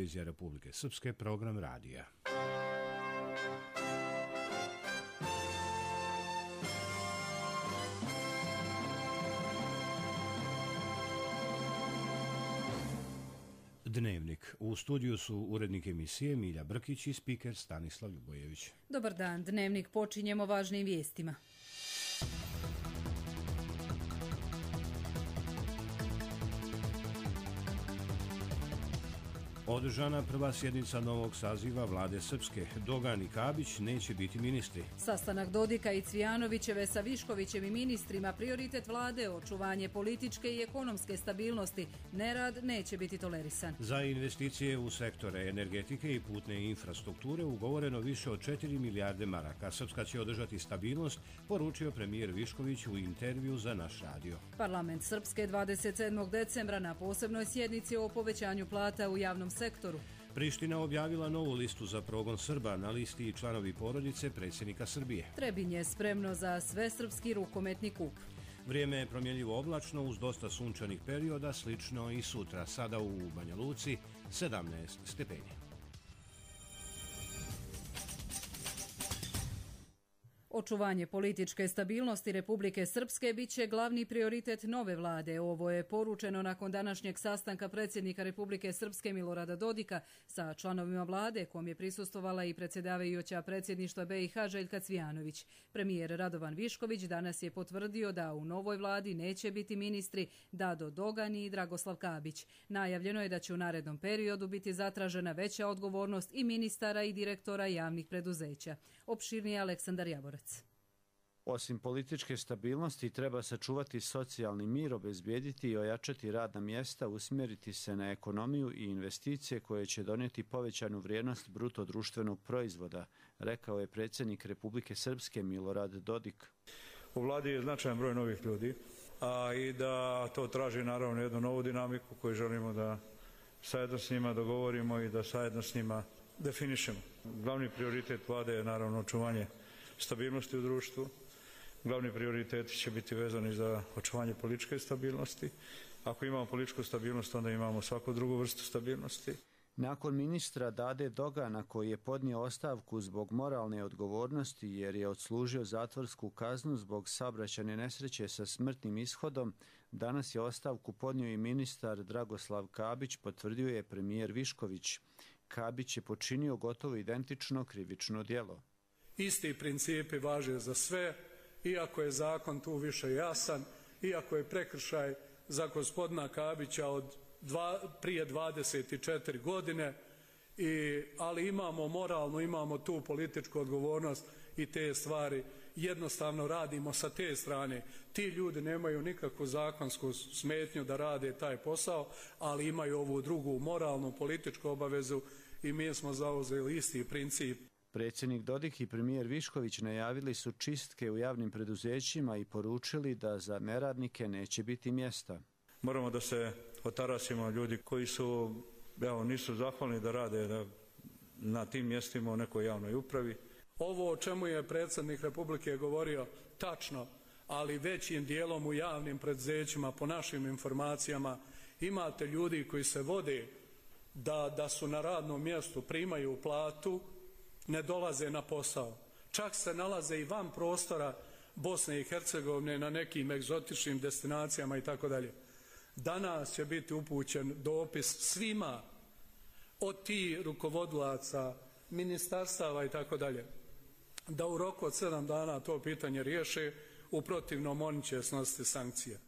televizija Republike Srpske, program radija. Dnevnik. U studiju su urednik emisije Milja Brkić i spiker Stanislav Ljubojević. Dobar dan. Dnevnik počinjemo važnim vijestima. Održana prva sjednica novog saziva vlade Srpske. Dogan i Kabić neće biti ministri. Sastanak Dodika i Cvijanovićeve sa Viškovićem i ministrima, prioritet vlade, očuvanje političke i ekonomske stabilnosti. Nerad neće biti tolerisan. Za investicije u sektore energetike i putne infrastrukture ugovoreno više od 4 milijarde maraka. Srpska će održati stabilnost, poručio premijer Višković u intervju za naš radio. Parlament Srpske 27. decembra na posebnoj sjednici o povećanju plata u javnom sektoru. Priština objavila novu listu za progon Srba, na listi i članovi porodice predsjednika Srbije. Trebinje je spremno za svesrpski rukometni kup. Vrijeme je promjenljivo oblačno uz dosta sunčanih perioda, slično i sutra. Sada u Banja Luci 17 stepeni. Očuvanje političke stabilnosti Republike Srpske bit će glavni prioritet nove vlade. Ovo je poručeno nakon današnjeg sastanka predsjednika Republike Srpske Milorada Dodika sa članovima vlade, kom je prisustvovala i predsjedavajuća predsjedništva BiH Željka Cvijanović. Premijer Radovan Višković danas je potvrdio da u novoj vladi neće biti ministri Dado Dogan i Dragoslav Kabić. Najavljeno je da će u narednom periodu biti zatražena veća odgovornost i ministara i direktora javnih preduzeća. Opširnije Aleksandar Javorac. Osim političke stabilnosti, treba sačuvati socijalni mir, obezbijediti i ojačati radna mjesta, usmjeriti se na ekonomiju i investicije koje će donijeti povećanu vrijednost bruto društvenog proizvoda, rekao je predsjednik Republike Srpske Milorad Dodik. U vladi je značajan broj novih ljudi, a i da to traži naravno jednu novu dinamiku koju želimo da zajedno s njima dogovorimo i da zajedno s njima definišemo. Glavni prioritet vlade je naravno očuvanje stabilnosti u društvu. Glavni prioriteti će biti vezani za očuvanje političke stabilnosti. Ako imamo političku stabilnost, onda imamo svaku drugu vrstu stabilnosti. Nakon ministra Dade Dogana, koji je podnio ostavku zbog moralne odgovornosti jer je odslužio zatvorsku kaznu zbog saobraćajne nesreće sa smrtnim ishodom, danas je ostavku podnio i ministar Dragoslav Kabić, potvrdio je premijer Višković. Kabić je počinio gotovo identično krivično djelo. Isti principi važe za sve, iako je zakon tu više jasan, iako je prekršaj za gospodina Kabića prije 24 godine, ali imamo moralnu, imamo tu političku odgovornost i te stvari jednostavno radimo sa te strane. Ti ljudi nemaju nikakvu zakonsku smetnju da rade taj posao, ali imaju ovu drugu moralnu političku obavezu i mi smo zauzeli isti princip. Predsjednik Dodik i premijer Višković najavili su čistke u javnim preduzećima i poručili da za neradnike neće biti mjesta. Moramo da se otarasimo ljudi koji nisu zahvalni da rade na tim mjestima u nekoj javnoj upravi. Ovo o čemu je predsjednik Republike govorio tačno, ali većim dijelom u javnim preduzećima, po našim informacijama, imate ljudi koji se vode da su na radnom mjestu, primaju platu, ne dolaze na posao. Čak se nalaze i van prostora Bosne i Hercegovine na nekim egzotičnim destinacijama i tako dalje. Danas će biti upućen dopis svima od tih rukovodilaca, ministarstava i tako dalje, da u roku od 7 dana to pitanje riješe, u protivnom oni će snositi sankcije.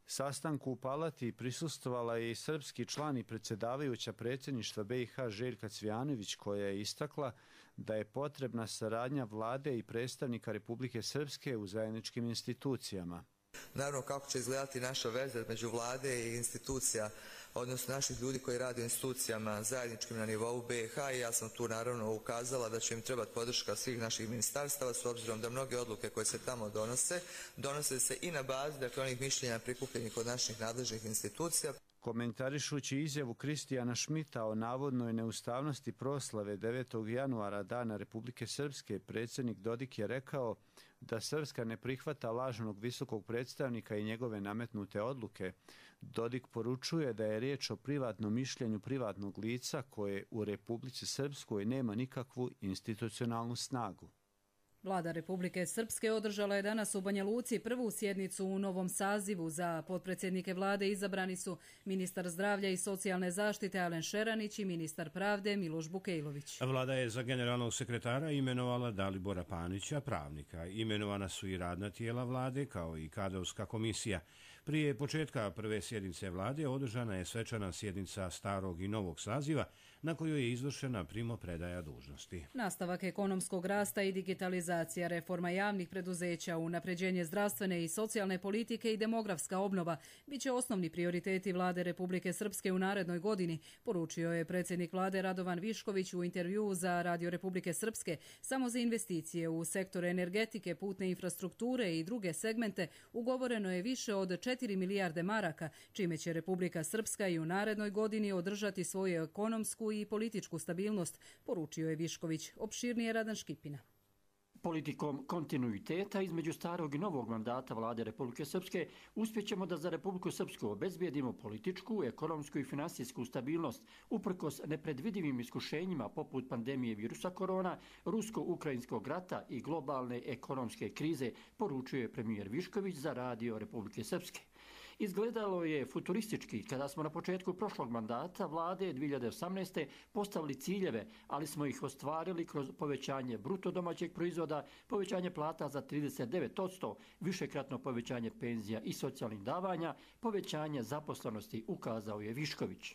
Sastanku u Palati prisustvovala je i srpski član i predsjedavajuća predsjedništva BiH Željka Cvijanović, koja je istakla da je potrebna saradnja vlade i predstavnika Republike Srpske u zajedničkim institucijama. Naravno, kako će izgledati naša veza među vlade i institucija, odnosno naših ljudi koji rade u institucijama zajedničkim na nivou BiH, i ja sam tu naravno ukazala da će im trebati podrška svih naših ministarstava, s obzirom da mnoge odluke koje se tamo donose se i na bazi, dakle, onih mišljenja prikupljenih od naših nadležnih institucija. Komentarišući izjavu Kristijana Šmita o navodnoj neustavnosti proslave 9. januara Dana Republike Srpske, predsjednik Dodik je rekao: da Srpska ne prihvata lažnog visokog predstavnika i njegove nametnute odluke, Dodik poručuje da je riječ o privatnom mišljenju privatnog lica koje u Republici Srpskoj nema nikakvu institucionalnu snagu. Vlada Republike Srpske održala je danas u Banja Luci prvu sjednicu u novom sazivu. Za potpredsjednike vlade izabrani su ministar zdravlja i socijalne zaštite Alen Šeranić i ministar pravde Miloš Bukejlović. Vlada je za generalnog sekretara imenovala Dalibora Panića, pravnika. Imenovana su i radna tijela vlade kao i kadrovska komisija. Prije početka prve sjednice vlade održana je svečana sjednica starog i novog saziva na kojoj je izvršena primopredaja dužnosti. Nastavak ekonomskog rasta i digitalizacija, reforma javnih preduzeća, unapređenje zdravstvene i socijalne politike i demografska obnova biće osnovni prioriteti vlade Republike Srpske u narednoj godini, poručio je predsjednik vlade Radovan Višković u intervjuu za Radio Republike Srpske. Samo za investicije u sektor energetike, putne infrastrukture i druge segmente ugovoreno je više od 4 milijarde maraka, čime će Republika Srpska i u narednoj godini održati svoju ekonomsku i političku stabilnost, poručio je Višković. Opširnije Radan Škipina. Politikom kontinuiteta između starog i novog mandata vlade Republike Srpske uspjećemo da za Republiku Srpsku obezbijedimo političku, ekonomsku i finansijsku stabilnost uprkos nepredvidivim iskušenjima poput pandemije virusa korona, rusko-ukrajinskog rata i globalne ekonomske krize, poručuje premijer Višković za Radio Republike Srpske. Izgledalo je futuristički kada smo na početku prošlog mandata vlade 2018. postavili ciljeve, ali smo ih ostvarili kroz povećanje bruto domaćeg proizvoda, povećanje plata za 39%, višekratno povećanje penzija i socijalnih davanja, povećanje zaposlenosti, ukazao je Višković.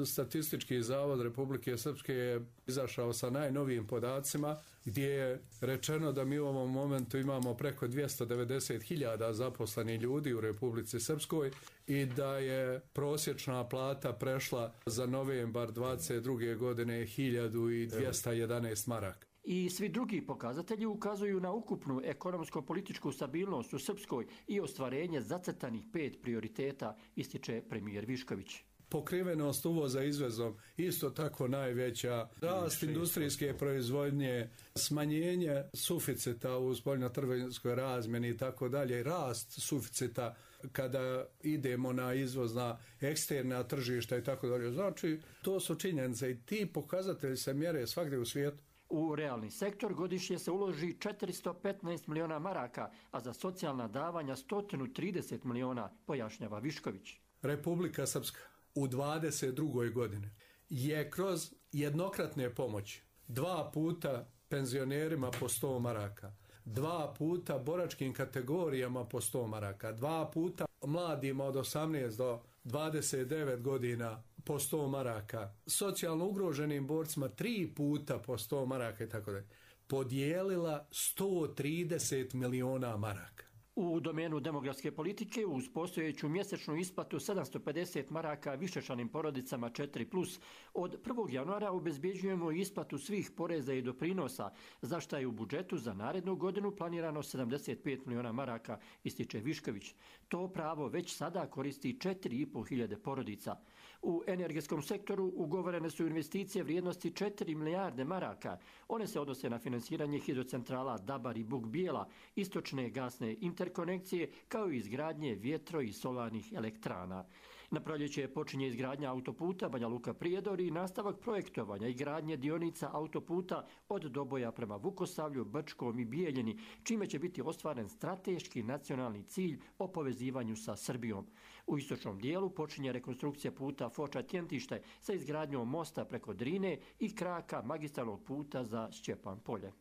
Statistički zavod Republike Srpske je izašao sa najnovijim podacima gdje je rečeno da mi u ovom momentu imamo preko 290.000 zaposlenih ljudi u Republici Srpskoj i da je prosječna plata prešla za novembar 22. godine 1211 maraka. I svi drugi pokazatelji ukazuju na ukupnu ekonomsko-političku stabilnost u Srpskoj i ostvarenje zacrtanih 5 prioriteta, ističe premijer Višković. Pokrivenost uvoza izvezom isto tako najveća, rast industrijske proizvodnje, smanjenje suficita u spoljnotrgovinskoj razmjeni i tako dalje, rast suficita kada idemo na izvozna eksterna tržišta i tako dalje. Znači, to su činjenice i ti pokazatelji se mjere svagdje u svijetu. U realni sektor godišnje se uloži 415 miliona maraka, a za socijalna davanja 130 miliona, pojašnjava Višković. Republika Srpska u 22. godini je kroz jednokratne pomoći 2 puta penzionerima po 100 maraka, 2 puta boračkim kategorijama po 100 maraka, 2 puta mladima od 18 do 29 godina po 100 maraka, socijalno ugroženim borcima 3 puta po 100 maraka i tako dalje. Podijelila 130 miliona maraka. U domenu demografske politike uz postojeću mjesečnu isplatu 750 maraka višečlanim porodicama 4+, od 1. januara obezbjeđujemo isplatu svih poreza i doprinosa, za što je u budžetu za narednu godinu planirano 75 miliona maraka, ističe Višković. To pravo već sada koristi 4.500 porodica. U energetskom sektoru ugovorene su investicije vrijednosti 4 milijarde maraka. One se odnose na finansiranje hidrocentrala Dabar i Buk Bijela, istočne gasne interkonekcije, kao i izgradnje vjetro- i solarnih elektrana. Na proljeće počinje izgradnja autoputa Banja Luka-Prijedor i nastavak projektovanja i gradnje dionica autoputa od Doboja prema Vukosavlju, Brčkom i Bijeljini, čime će biti ostvaren strateški nacionalni cilj o povezivanju sa Srbijom. U istočnom dijelu počinje rekonstrukcija puta Foča-Tjentište sa izgradnjom mosta preko Drine i kraka magistralnog puta za Šćepan Polje.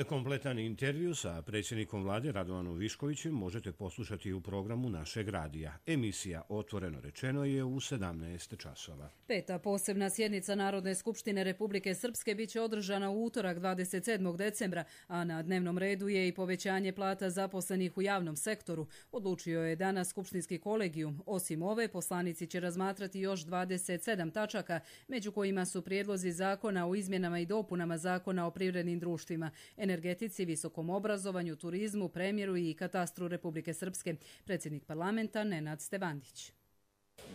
Kompletan intervju sa predsjednikom vlade Radovanom Viškovićem možete poslušati u programu našeg radija. Emisija Otvoreno rečeno je u 17 časova. 5. posebna sjednica Narodne skupštine Republike Srpske biće održana u utorak 27. decembra, a na dnevnom redu je i povećanje plata zaposlenih u javnom sektoru. Odlučio je danas skupštinski kolegijum. Osim ove, poslanici će razmatrati još 27 tačaka, među kojima su prijedlozi zakona o izmjenama i dopunama zakona o privrednim društvima, energetici, visokom obrazovanju, turizmu, premjeru i katastru Republike Srpske. Predsjednik parlamenta Nenad Stevandić.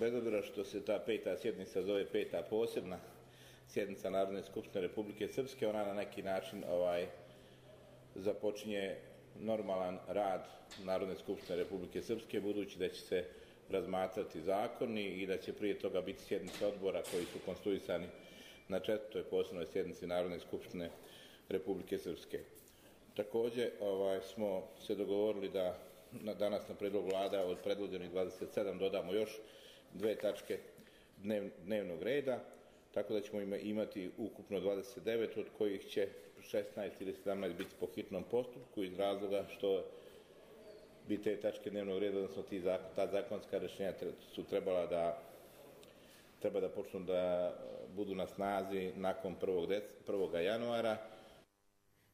Bez obzira što se ta 5. sjednica zove 5. posebna sjednica Narodne skupštine Republike Srpske, ona na neki način započinje normalan rad Narodne skupštine Republike Srpske, budući da će se razmatrati zakoni i da će prije toga biti sjednice odbora koji su konstituisani na 4. posebnoj sjednici Narodne skupštine Republike Srpske. Također smo se dogovorili da danas na predlog vlada od predloženih 27 dodamo još 2 tačke dnevnog reda, tako da ćemo imati ukupno 29, od kojih će 16 ili 17 biti po hitnom postupku iz razloga što bi te tačke dnevnog reda, odnosno ta zakonska rješenja su treba da počnu da budu na snazi nakon 1. januara.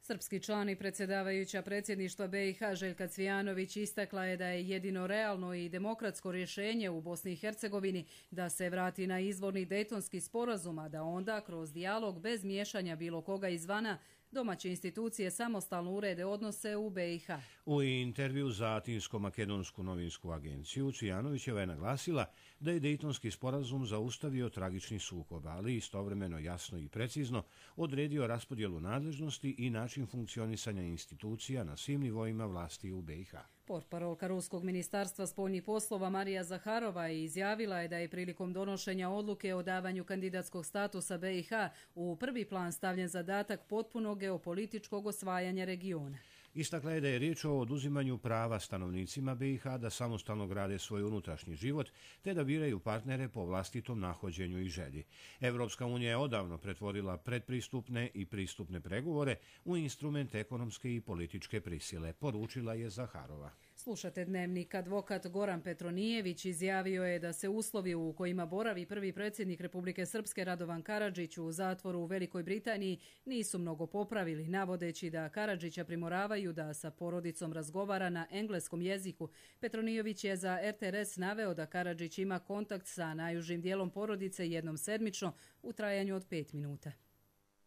Srpski član i predsjedavajuća predsjedništva BiH Željka Cvijanović istakla je da je jedino realno i demokratsko rješenje u Bosni i Hercegovini da se vrati na izvorni Dejtonski sporazum, a da onda kroz dijalog bez miješanja bilo koga izvana domaće institucije samostalno urede odnose u BiH. U intervju za Atinsko-makedonsku novinsku agenciju Cvijanovićeva je naglasila da je Dejtonski sporazum zaustavio tragični sukob, ali istovremeno jasno i precizno odredio raspodjelu nadležnosti i način funkcionisanja institucija na svim nivoima vlasti u BiH. Portparolka Ruskog ministarstva spoljnih poslova Marija Zaharova izjavila je da je prilikom donošenja odluke o davanju kandidatskog statusa BiH u prvi plan stavljen zadatak potpunog geopolitičkog osvajanja regiona. Istakla je da je riječ o oduzimanju prava stanovnicima BiH da samostalno grade svoj unutrašnji život te da biraju partnere po vlastitom nahođenju i želji. Evropska unija je odavno pretvorila predpristupne i pristupne pregovore u instrument ekonomske i političke prisile, poručila je Zaharova. Slušate Dnevnik. Advokat Goran Petronijević izjavio je da se uslovi u kojima boravi prvi predsjednik Republike Srpske Radovan Karadžić u zatvoru u Velikoj Britaniji nisu mnogo popravili, navodeći da Karadžića primoravaju da sa porodicom razgovara na engleskom jeziku. Petronijević je za RTRS naveo da Karadžić ima kontakt sa najužim dijelom porodice jednom sedmično u trajanju od 5 minuta.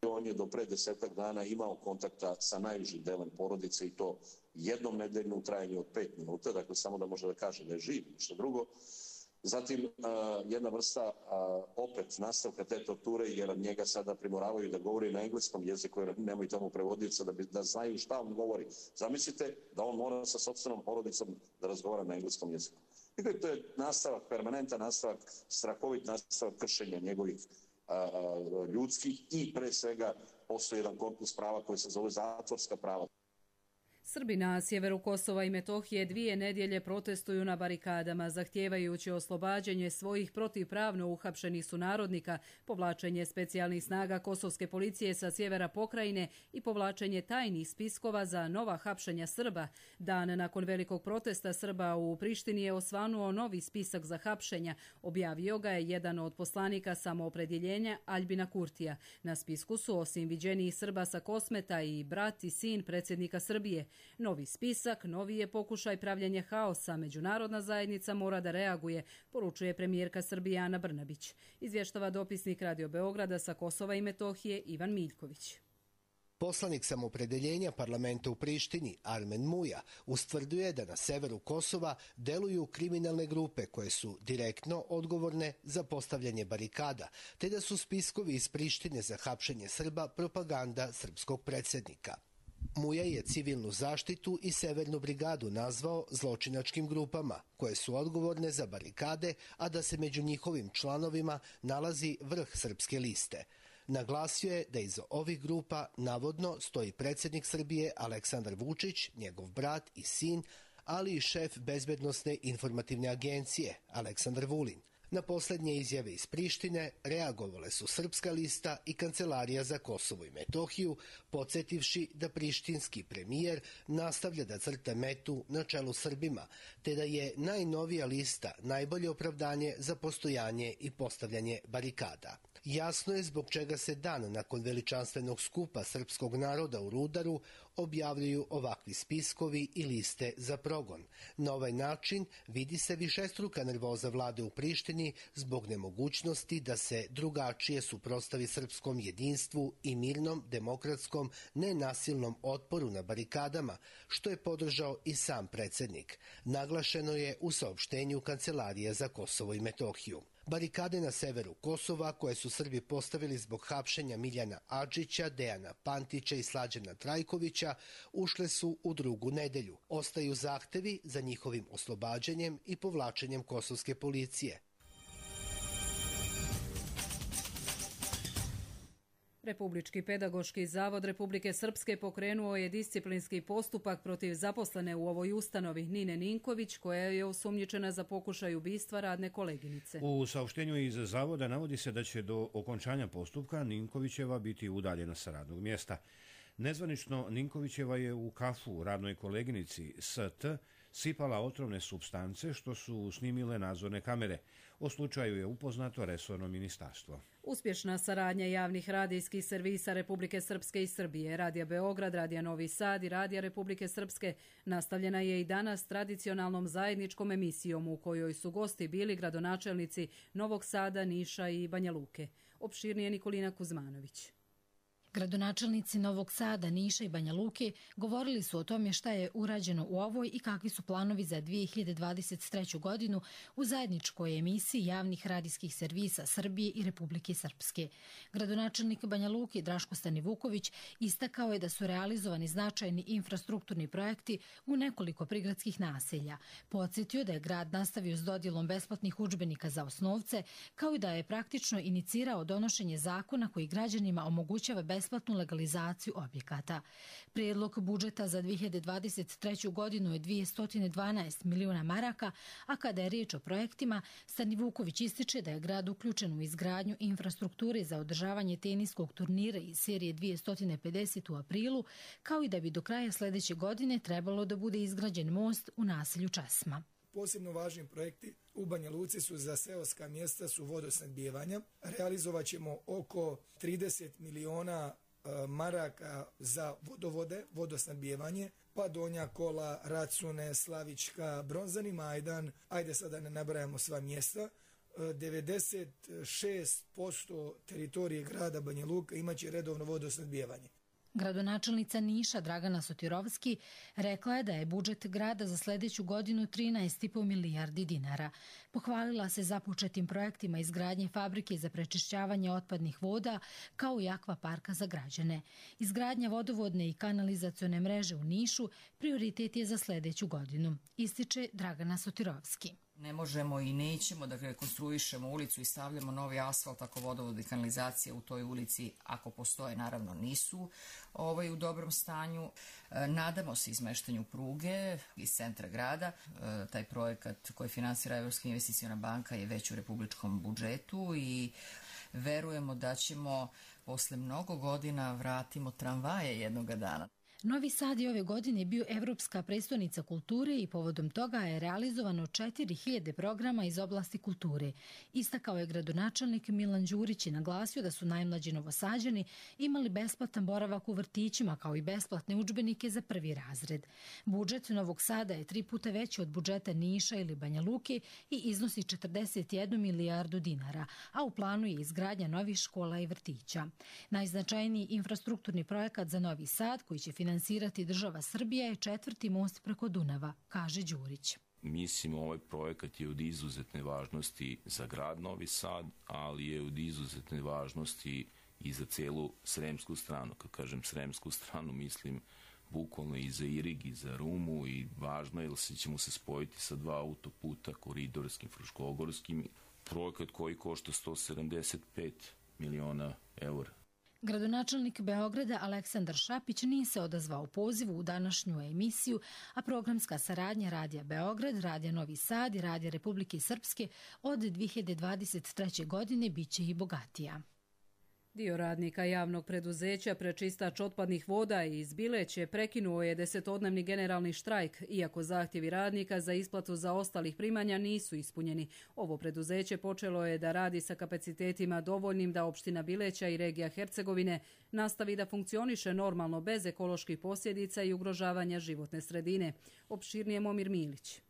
On je do pre 10 dana imao kontakta sa najužim delom porodice i to jednom nedeljno u trajanju od 5 minuta, dakle samo da može da kaže da je živ, ništa drugo. Zatim jedna vrsta opet nastavka te torture, jer njega sada primoravaju da govori na engleskom jeziku, jer nemaju tamo prevodioca da znaju šta on govori. Zamislite da on mora sa sopstvenom porodicom da razgovara na engleskom jeziku. Dakle, to je nastavak, permanentan nastavak, strahovit nastavak kršenja njegovih ljudskih i pre svega postoji jedan korpus prava koji se zove zatvorska prava. Srbi na sjeveru Kosova i Metohije 2 nedjelje protestuju na barikadama, zahtijevajući oslobađanje svojih protivpravno uhapšenih sunarodnika, povlačenje specijalnih snaga kosovske policije sa sjevera pokrajine i povlačenje tajnih spiskova za nova hapšenja Srba. Dan nakon velikog protesta Srba u Prištini je osvanuo novi spisak za hapšenja. Objavio ga je jedan od poslanika samoopredjeljenja Aljbina Kurtija. Na spisku su osim viđenijih Srba sa Kosmeta i brat i sin predsjednika Srbije. Novi spisak, novi je pokušaj pravljenja haosa. Međunarodna zajednica mora da reaguje, poručuje premijerka Srbije Ana Brnabić. Izvještava dopisnik Radio Beograda sa Kosova i Metohije Ivan Miljković. Poslanik samoopredjeljenja parlamenta u Prištini, Armen Muja, ustvrduje da na severu Kosova deluju kriminalne grupe koje su direktno odgovorne za postavljanje barikada, te da su spiskovi iz Prištine za hapšenje Srba propaganda srpskog predsjednika. Muja je civilnu zaštitu i Severnu brigadu nazvao zločinačkim grupama koje su odgovorne za barikade, a da se među njihovim članovima nalazi vrh srpske liste. Naglasio je da iza ovih grupa navodno stoji predsjednik Srbije Aleksandar Vučić, njegov brat i sin, ali i šef bezbednosne informativne agencije Aleksandar Vulin. Na posljednje izjave iz Prištine reagovale su Srpska lista i Kancelarija za Kosovo i Metohiju, podsjetivši da prištinski premijer nastavlja da crta metu na čelu Srbima, te da je najnovija lista najbolje opravdanje za postojanje i postavljanje barikada. Jasno je zbog čega se dan nakon veličanstvenog skupa srpskog naroda u Rudaru objavljuju ovakvi spiskovi i liste za progon. Na ovaj način vidi se višestruka nervoza vlade u Prištini zbog nemogućnosti da se drugačije suprotstavi srpskom jedinstvu i mirnom, demokratskom, nenasilnom otporu na barikadama, što je podržao i sam predsjednik. Naglašeno je u saopštenju Kancelarije za Kosovo i Metohiju. Barikade na severu Kosova, koje su Srbi postavili zbog hapšenja Miljana Adžića, Dejana Pantića i Slađana Trajkovića, ušle su u drugu nedelju. Ostaju zahtevi za njihovim oslobađanjem i povlačenjem kosovske policije. Republički pedagoški zavod Republike Srpske pokrenuo je disciplinski postupak protiv zaposlene u ovoj ustanovi Nine Ninković, koja je osumnjičena za pokušaj ubistva radne koleginice. U saopštenju iz zavoda navodi se da će do okončanja postupka Ninkovićeva biti udaljena sa radnog mjesta. Nezvanično, Ninkovićeva je u kafu radnoj koleginici ST sipala otrovne supstance, što su snimile nadzorne kamere. O slučaju je upoznato resorno ministarstvo. Uspješna saradnja javnih radijskih servisa Republike Srpske i Srbije, Radija Beograd, Radija Novi Sad i Radija Republike Srpske, nastavljena je i danas tradicionalnom zajedničkom emisijom u kojoj su gosti bili gradonačelnici Novog Sada, Niša i Banja Luke. Opširnije Nikolina Kuzmanović. Gradonačelnici Novog Sada, Niša i Banja Luke govorili su o tome šta je urađeno u ovoj i kakvi su planovi za 2023. godinu u zajedničkoj emisiji javnih radijskih servisa Srbije i Republike Srpske. Gradonačelnik Banja Luke Draško Stanivuković istakao je da su realizovani značajni infrastrukturni projekti u nekoliko prigradskih naselja. Podsjetio da je grad nastavio s dodjelom besplatnih udžbenika za osnovce, kao i da je praktično inicirao donošenje zakona koji građanima omogućava besplatnu legalizaciju objekata. Prijedlog budžeta za 2023. godinu je 212 miliona maraka, a kada je riječ o projektima, Stanivuković ističe da je grad uključen u izgradnju infrastrukture za održavanje teniskog turnira iz serije 250 u aprilu, kao i da bi do kraja sljedeće godine trebalo da bude izgrađen most u naselju Česma. Posebno važni projekti u Banja Luci su za seoska mjesta su vodosnabdijevanja. Realizovat ćemo oko 30 miliona maraka za vodovode, vodosnadbijevanje, pa Donja Kola, Racune, Slavička, Bronzani Majdan, ajde sada ne nabrajamo sva mjesta. 96% teritorije grada Banja Luka imaće redovno vodosnadbijevanje. Gradonačelnica Niša Dragana Sotirovski rekla je da je budžet grada za sljedeću godinu 13,5 milijardi dinara. Pohvalila se započetim projektima izgradnje fabrike za prečišćavanje otpadnih voda kao i akvaparka za građane. Izgradnja vodovodne i kanalizacione mreže u Nišu prioritet je za sljedeću godinu, ističe Dragana Sotirovski. Ne možemo i nećemo da rekonstruišemo ulicu i stavljamo novi asfalt ako vodovod i kanalizacija u toj ulici, ako postoje, naravno nisu u dobrom stanju. Nadamo se izmeštanju pruge iz centra grada. Taj projekat koji finansira Evropska investiciona banka je već u republičkom budžetu i verujemo da ćemo posle mnogo godina vratimo tramvaje jednoga dana. Novi Sad je ove godine bio Evropska prestonica kulture i povodom toga je realizovano 4000 programa iz oblasti kulture. Istakao je gradonačelnik Milan Đurić i naglasio da su najmlađi Novosađani imali besplatan boravak u vrtićima kao i besplatne udžbenike za prvi razred. Budžet Novog Sada je 3 puta veći od budžeta Niša ili Banja Luke i iznosi 41 milijardu dinara, a u planu je izgradnja novih škola i vrtića. Najznačajniji infrastrukturni projekat za Novi Sad koji će finansirati država Srbija je 4. most preko Dunava, kaže Đurić. Mislim, ovaj projekat je od izuzetne važnosti za grad Novi Sad, ali je od izuzetne važnosti i za celu sremsku stranu. Kad kažem sremsku stranu, mislim bukvalno i za Irig i za Rumu i važno je jer ćemo se spojiti sa 2 autoputa, koridorskim, fruškogorskim. Projekat koji košta 175 miliona eura. Gradonačelnik Beograda Aleksandar Šapić nije se odazvao pozivu u današnju emisiju, a programska saradnja Radija Beograd, Radija Novi Sad i Radija Republike Srpske od 2023. godine biće i bogatija. Dio radnika javnog preduzeća Prečistač otpadnih voda iz Bileće prekinuo je 10-dnevni generalni štrajk, iako zahtjevi radnika za isplatu zaostalih primanja nisu ispunjeni. Ovo preduzeće počelo je da radi sa kapacitetima dovoljnim da opština Bileća i regija Hercegovine nastavi da funkcioniše normalno bez ekoloških posljedica i ugrožavanja životne sredine. Opširnije Momir Milić.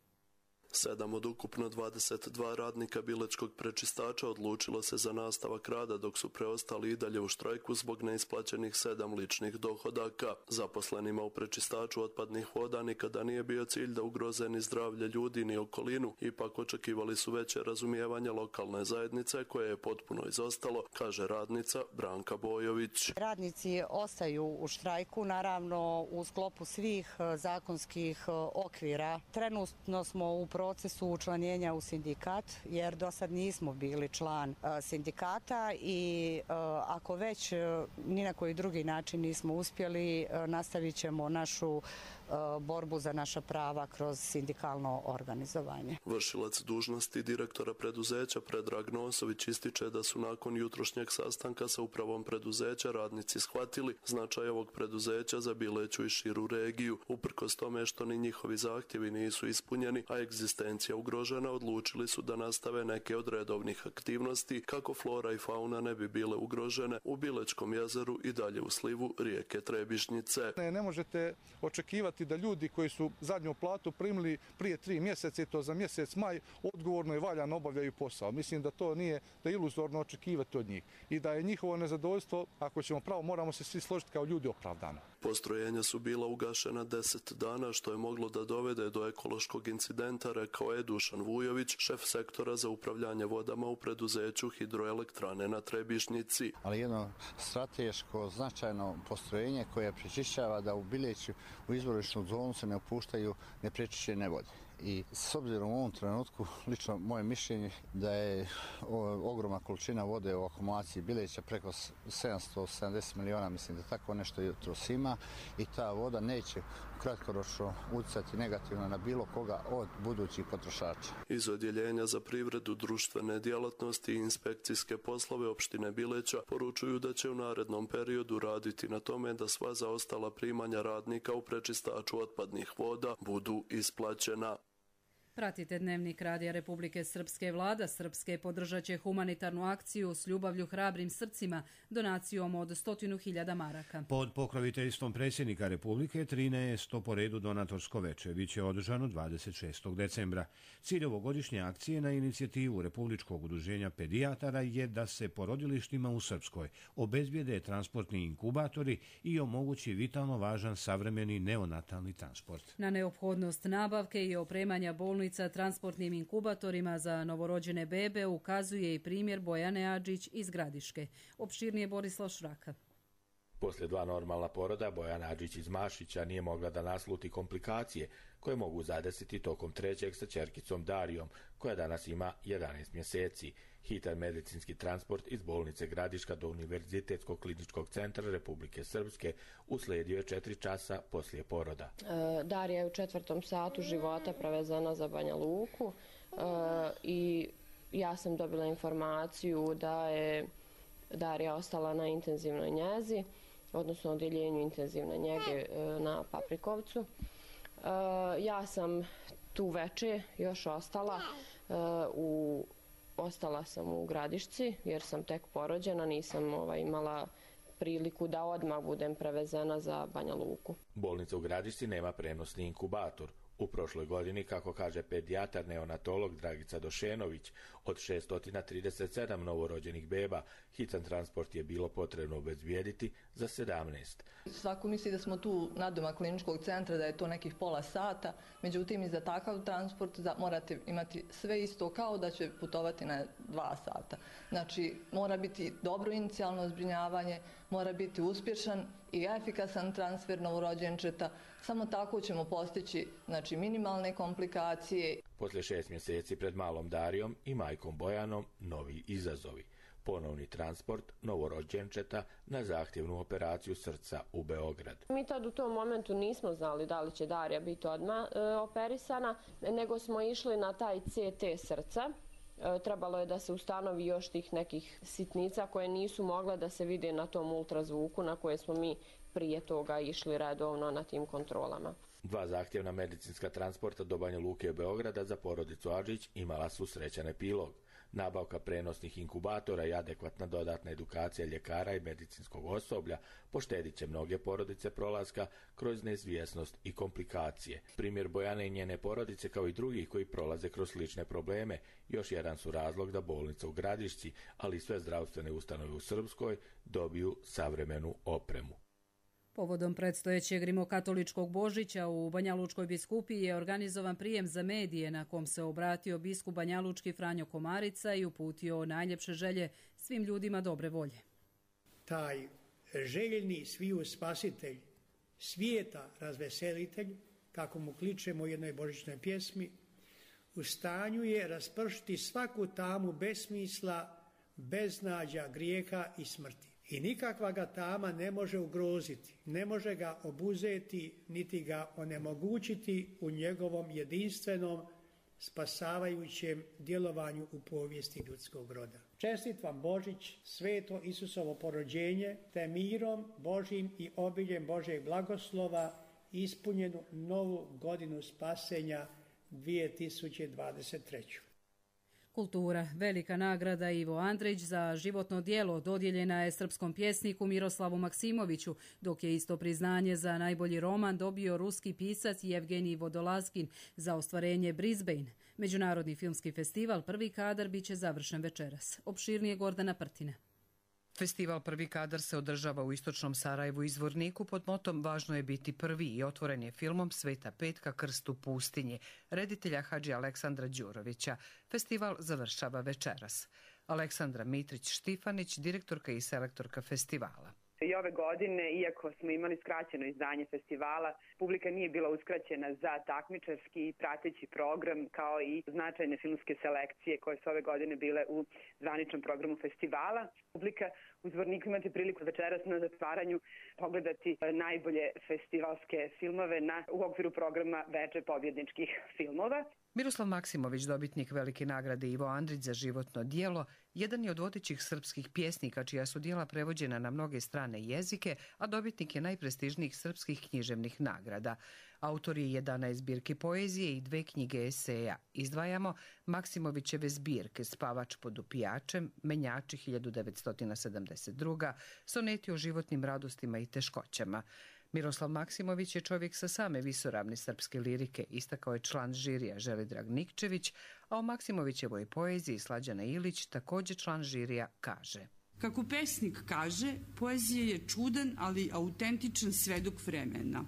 7 od ukupno 22 radnika bilečkog prečistača odlučilo se za nastavak rada, dok su preostali i dalje u štrajku zbog neisplaćenih 7 ličnih dohodaka. Zaposlenima u prečistaču otpadnih voda nikada nije bio cilj da ugroze ni zdravlje ljudi ni okolinu, ipak očekivali su veće razumijevanje lokalne zajednice koje je potpuno izostalo, kaže radnica Branka Bojović. Radnici ostaju u štrajku, naravno u sklopu svih zakonskih okvira. Trenutno smo u procesu učlanjenja u sindikat, jer do sad nismo bili član sindikata i ako već ni na koji drugi način nismo uspjeli, nastavit ćemo našu borbu za naša prava kroz sindikalno organizovanje. Vršilac dužnosti direktora preduzeća Predrag Nosović ističe da su nakon jutrošnjeg sastanka sa upravom preduzeća radnici shvatili značaj ovog preduzeća za Bileću i širu regiju. Uprkos tome što ni njihovi zahtjevi nisu ispunjeni, a egzistencija ugrožena, odlučili su da nastave neke od redovnih aktivnosti kako flora i fauna ne bi bile ugrožene u Bilečkom jezeru i dalje u slivu rijeke Trebišnjice. Ne možete očekivati da ljudi koji su zadnju platu primili prije 3 mjeseca i to za mjesec maj odgovorno i valjano obavljaju posao. Mislim da to nije, da je iluzorno očekivati od njih i da je njihovo nezadovoljstvo, ako ćemo pravo, moramo se svi složiti kao ljudi, opravdano. Postrojenja su bila ugašena 10 dana, što je moglo da dovede do ekološkog incidenta, rekao je Dušan Vujović, šef sektora za upravljanje vodama u preduzeću Hidroelektrane na Trebišnjici. Ali jedno strateško značajno postrojenje koje prečišćava da u Bileću u izvorišnu zonu se ne upuštaju neprečišćene vode. I s obzirom u ovom trenutku, lično moje mišljenje da je ogromna količina vode u akumulaciji Bileća, preko 770 miliona, mislim da tako nešto jutros ima, i ta voda neće kratkoročno utjecati negativno na bilo koga od budućih potrošača. Iz odjeljenja za privredu, društvene djelatnosti i inspekcijske poslove opštine Bileća poručuju da će u narednom periodu raditi na tome da sva zaostala primanja radnika u prečistaču otpadnih voda budu isplaćena. Pratite Dnevnik Radija Republike Srpske. Vlada Srpske podržat će humanitarnu akciju S ljubavlju hrabrim srcima donacijom od 100.000 maraka. Pod pokroviteljstvom predsjednika Republike 13. po redu donatorsko veče biće održano 26. decembra. Cilj ovogodišnje akcije na inicijativu Republičkog udruženja pedijatara je da se porodilištima u Srpskoj obezbijede transportni inkubatori i omogući vitalno važan savremeni neonatalni transport. Na neophodnost nabavke i opremanja bolnica transportnim inkubatorima za novorođene bebe ukazuje i primjer Bojane Adžić iz Gradiške. Opširnije Borislav Šraka. Poslije 2 normalna poroda, Bojana Adžić iz Mašića nije mogla da nasluti komplikacije koje mogu zadesiti tokom 3. sa ćerkicom Darijom, koja danas ima 11 mjeseci. Hitan medicinski transport iz bolnice Gradiška do Univerzitetskog kliničkog centra Republike Srpske uslijedio je 4 časa poslije poroda. Darija je u 4. satu života prevezena za Banja Luku i ja sam dobila informaciju da je Darija ostala na intenzivnoj njezi, odnosno odjeljenju intenzivne njege na Paprikovcu. Ja sam tu veče još ostala Ostala sam u Gradišci jer sam tek porođena, nisam imala priliku da odmah budem prevezena za Banja Luku. Bolnica u Gradišci nema prenosni inkubator. U prošloj godini, kako kaže pedijatar neonatolog Dragica Došenović, od 637 novorođenih beba, hitan transport je bilo potrebno obezbijediti za 17. Svako misli da smo tu nadomak kliničkog centra, da je to nekih pola sata, međutim i za takav transport morate imati sve isto kao da će putovati na 2 sata. Znači, mora biti dobro inicijalno zbrinjavanje, mora biti uspješan i efikasan transfer novorođenčeta. Samo tako ćemo postići minimalne komplikacije. Poslije 6 mjeseci pred malom Darijom i majkom Bojanom novi izazovi. Ponovni transport novorođenčeta na zahtjevnu operaciju srca u Beograd. Mi tad u tom momentu nismo znali da li će Darija biti odmah operisana, nego smo išli na taj CT srca. Trebalo je da se ustanovi još tih nekih sitnica koje nisu mogle da se vide na tom ultrazvuku na koje smo mi prije toga išli redovno na tim kontrolama. 2 zahtjevna medicinska transporta do Banja Luke i Beograda za porodicu Adžić imala su srećan epilog. Nabavka prenosnih inkubatora i adekvatna dodatna edukacija ljekara i medicinskog osoblja poštedit će mnoge porodice prolaska kroz neizvjesnost i komplikacije. Primjer Bojane i njene porodice kao i drugih koji prolaze kroz slične probleme još jedan su razlog da bolnica u Gradišci, ali i sve zdravstvene ustanove u Srpskoj dobiju savremenu opremu. Povodom predstojećeg rimokatoličkog Božića u Banjalučkoj biskupiji je organizovan prijem za medije na kom se obratio biskup banjalučki Franjo Komarica i uputio najljepše želje svim ljudima dobre volje. Taj željeni sviju spasitelj, svijeta razveselitelj, kako mu kličemo u jednoj božićnoj pjesmi, u stanju je raspršiti svaku tamu besmisla, beznađa, grijeha i smrti. I nikakva ga tama ne može ugroziti, ne može ga obuzeti, niti ga onemogućiti u njegovom jedinstvenom, spasavajućem djelovanju u povijesti ljudskog roda. Čestit vam Božić, sveto Isusovo porođenje, te mirom Božjim i obiljem Božjeg blagoslova ispunjenu novu godinu spasenja 2023. Kultura. Velika nagrada Ivo Andrić za životno djelo dodijeljena je srpskom pjesniku Miroslavu Maksimoviću, dok je isto priznanje za najbolji roman dobio ruski pisac Jevgenij Vodolazkin za ostvarenje Brisbane. Međunarodni filmski festival Prvi kadar biće završen večeras. Opširnije Gordana Prtina. Festival Prvi kadar se održava u istočnom Sarajevu i Zvorniku pod motom Važno je biti prvi i otvoren je filmom Sveta petka Krst u pustinji, reditelja Hadži Aleksandra Đurovića. Festival završava večeras. Aleksandra Mitrić-Štifanić, direktorka i selektorka festivala. I ove godine, iako smo imali skraćeno izdanje festivala, publika nije bila uskraćena za takmičarski i prateći program, kao i značajne filmske selekcije koje su ove godine bile u zvaničnom programu festivala. Publika u Zvorniku imate priliku večeras na zatvaranju pogledati najbolje festivalske filmove u okviru programa Veče pobjedničkih filmova. Miroslav Maksimović, dobitnik velike nagrade Ivo Andrić za životno djelo, jedan je od vodećih srpskih pjesnika čija su djela prevođena na mnoge strane jezike, a dobitnik je najprestižnijih srpskih književnih nagrada. Autor je 11 zbirki poezije i 2 knjige eseja. Izdvajamo Maksimovićeve zbirke Spavač pod upijačem, Menjači 1972, soneti o životnim radostima i teškoćama. Miroslav Maksimović je čovjek sa same visoravni srpske lirike, istakao je član žirija Želidrag Nikčević, a o Maksimovićevoj poeziji Slađana Ilić, također član žirija, kaže: Kako pesnik kaže, poezija je čudan, ali autentičan svedok vremena.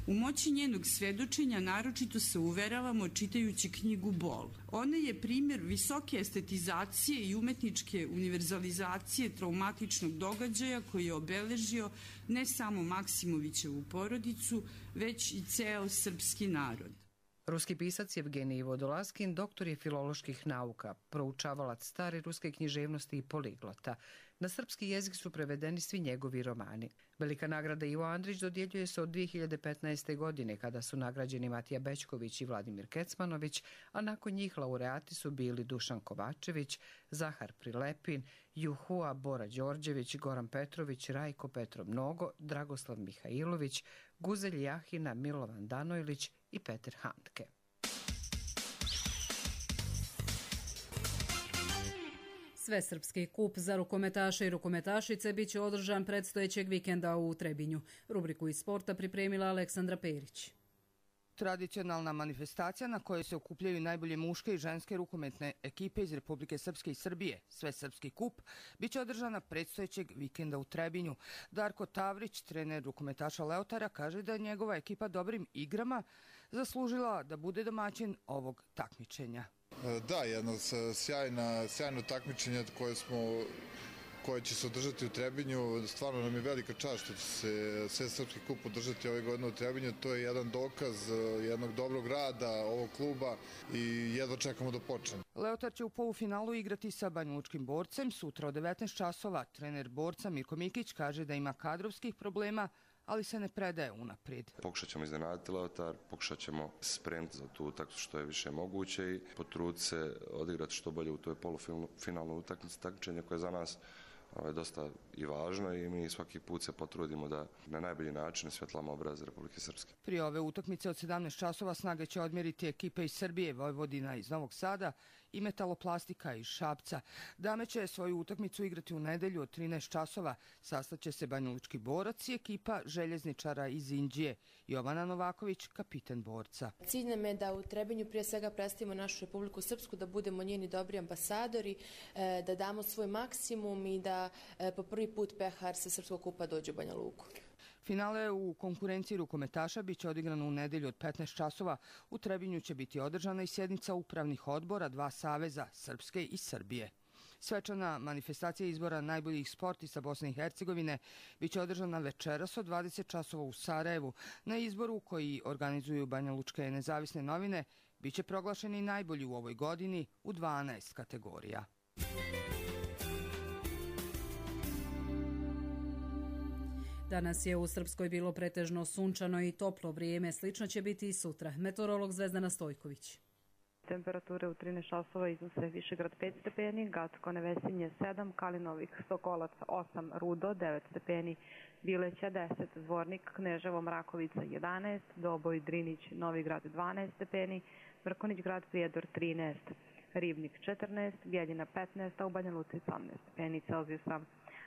U moći njenog svedočenja naročito se uveravamo čitajući knjigu Bol. Ona je primjer visoke estetizacije i umetničke univerzalizacije traumatičnog događaja koji je obeležio ne samo Maksimovićevu porodicu, već i ceo srpski narod. Ruski pisac Jevgenij Vodolazkin doktor je filoloških nauka, proučavalac stare ruske književnosti i poliglota. Na srpski jezik su prevedeni svi njegovi romani. Velika nagrada Ivo Andrić dodjeljuje se od 2015. godine kada su nagrađeni Matija Bećković i Vladimir Kecmanović, a nakon njih laureati su bili Dušan Kovačević, Zahar Prilepin, Juhua Bora Đorđević, Goran Petrović, Rajko Petrov Mnogo, Dragoslav Mihajlović, Guzelj Jahina, Milovan Danojlić i Peter Handke. Svesrpski kup za rukometaše i rukometašice biće održan predstojećeg vikenda u Trebinju. Rubriku iz sporta pripremila Aleksandra Perić. Tradicionalna manifestacija na kojoj se okupljaju najbolje muške i ženske rukometne ekipe iz Republike Srpske i Srbije, Svesrpski kup, biće održana predstojećeg vikenda u Trebinju. Darko Tavrić, trener rukometaša Leotara, kaže da je njegova ekipa dobrim igrama zaslužila da bude domaćin ovog takmičenja. Da, jedno sjajno takmičenje koje će se održati u Trebinju. Stvarno nam je velika čast što će se Svesrpski kup održati ove godine u Trebinju. To je jedan dokaz jednog dobrog rada ovog kluba i jedva čekamo da počne. Leotar će u polufinalu igrati sa banjalučkim Borcem sutra od 19 časova. Trener Borca Mirko Mikić kaže da ima kadrovskih problema, ali se ne predaje unaprijed. Pokušat ćemo iznenaditi Leotar, pokušat ćemo spremiti za tu utakmicu što je više moguće i potruditi se odigrati što bolje u toj polufinalnoj utakmici, takmičenje koje je za nas dosta i važno i mi svaki put se potrudimo da na najbolji način osvjetlamo obraz Republike Srpske. Prije ove utakmice od 17 časova snage će odmjeriti ekipe iz Srbije, Vojvodina iz Novog Sada i Metaloplastika iz Šapca. Dame će svoju utakmicu igrati u nedelju od 13 časova. Sastaće se banjalučki borac i ekipa željezničara iz Inđije. Jovana Novaković, kapiten borca. Cilj nam je da u Trebinju prije svega predstavimo našu Republiku Srpsku, da budemo njeni dobri ambasadori, da damo svoj maksimum i da po prvi put pehar sa Srpskog kupa dođe u Banja Luku. Finale u konkurenciji rukometaša biće odigrano u nedelju od 15 časova. U Trebinju će biti održana i sjednica upravnih odbora dva saveza, Srpske i Srbije. Svečana manifestacija izbora najboljih sportista Bosne i Hercegovine biće održana večeras od 20 časova u Sarajevu. Na izboru koji organizuju banjalučke nezavisne novine biće proglašeni najbolji u ovoj godini u 12 kategorija. Danas je u Srpskoj bilo pretežno sunčano i toplo vrijeme, slično će biti i sutra. Meteorolog Zvezdana Stojković. Temperature u 13 časova iznose Višegrad 5 stepeni, Gacko Nevesinje 7, Kalinovik, Sokolac 8, Rudo 9 stepeni, Bileća 10, Zvornik, Kneževo, Mrakovica 11, Doboj, Drinić, Novigrad 12 stepeni, Mrkonić grad, Prijedor 13, Ribnik 14, Bjeljina 15, a u Banja Luci 18 stepeni Celzijusa.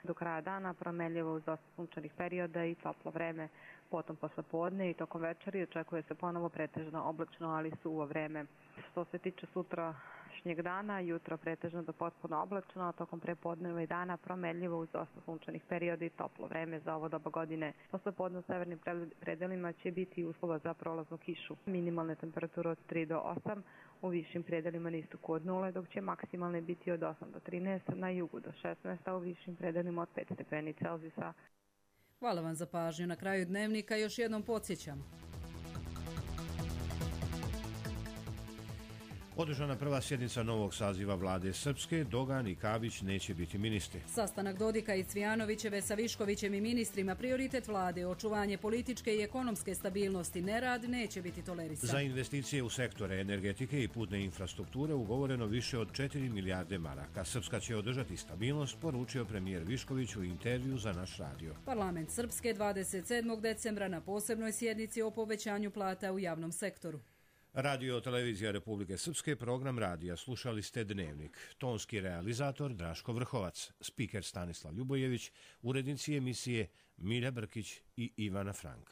Do kraja dana promenljivo uz dosta sunčanih perioda i toplo vreme, potom posle podne i tokom večeri očekuje se ponovo pretežno oblačno, ali suvo vreme. Što se tiče sutrašnjeg dana, jutro pretežno do potpuno oblačno, a tokom prepodneva i dana promenljivo uz dosta sunčanih perioda i toplo vreme za ovo doba godine. Posle podne u severnim predelima će biti uslova za prolaznu kišu. Minimalne temperature od 3 do 8, u višim predelima na istoku od 0, dok će maksimalne biti od 8 do 13, na jugu do 16, a u višim predelima od 5 stepeni Celzijusa. Hvala vam za pažnju. Na kraju dnevnika još jednom podsjećam. Održana prva sjednica novog saziva vlade Srpske, Dogan i Kabić neće biti ministri. Sastanak Dodika i Cvijanovićeve sa Viškovićem i ministrima, prioritet vlade, očuvanje političke i ekonomske stabilnosti, nerad neće biti tolerisan. Za investicije u sektore energetike i putne infrastrukture ugovoreno više od 4 milijarde maraka. Srpska će održati stabilnost, poručio premijer Višković u intervju za naš radio. Parlament Srpske 27. decembra na posebnoj sjednici o povećanju plata u javnom sektoru. Radio Televizija Republike Srpske, program radija. Slušali ste Dnevnik. Tonski realizator Draško Vrhovac, spiker Stanislav Ljubojević, urednici emisije Milja Brkić i Ivana Frank.